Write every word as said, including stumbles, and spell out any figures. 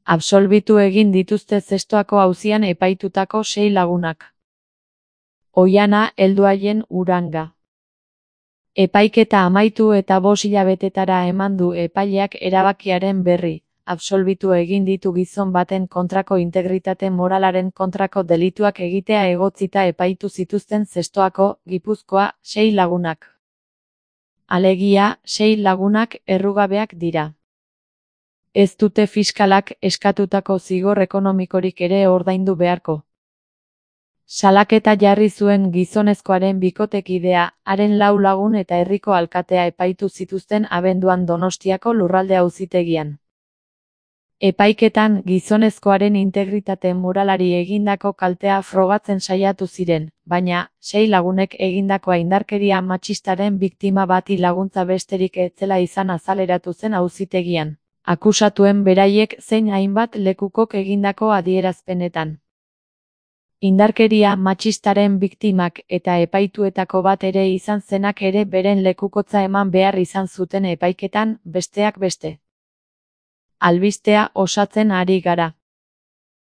Absolbitu egin dituzte Zestoako auzian epaitutako sei lagunak. Oihana heldu haien Uranga. Epaiketa amaitu eta bost hilabetetara eman du epaileak erabakiaren berri. Absolbitu egin ditu gizon baten kontrako integritate moralaren kontrako delituak egitea egotzita epaitu zituzten Zestoako, Gipuzkoa, sei lagunak. Alegia, sei lagunak errugabeak dira. Ez dute fiskalak eskatutako zigor ekonomikorik ere ordaindu beharko. Salaketa jarri zuen gizonezkoaren bikotekidea, haren lau lagun eta herriko alkatea epaitu zituzten abenduan Donostiako lurralde auzitegian. Epaiketan gizonezkoaren integritate moralari egindako kaltea frogatzen saiatu ziren, baina, sei lagunek egindakoa indarkeria matxistaren biktima bati laguntza besterik ez zela izan azaleratu zen auzitegian, akusatuen beraiek zein hainbat lekukok egindako adierazpenetan. Indarkeria matxistaren biktimak eta epaituetako bat ere izan zenak ere beren lekukotza eman behar izan zuten epaiketan, besteak beste. Albistea osatzen ari gara.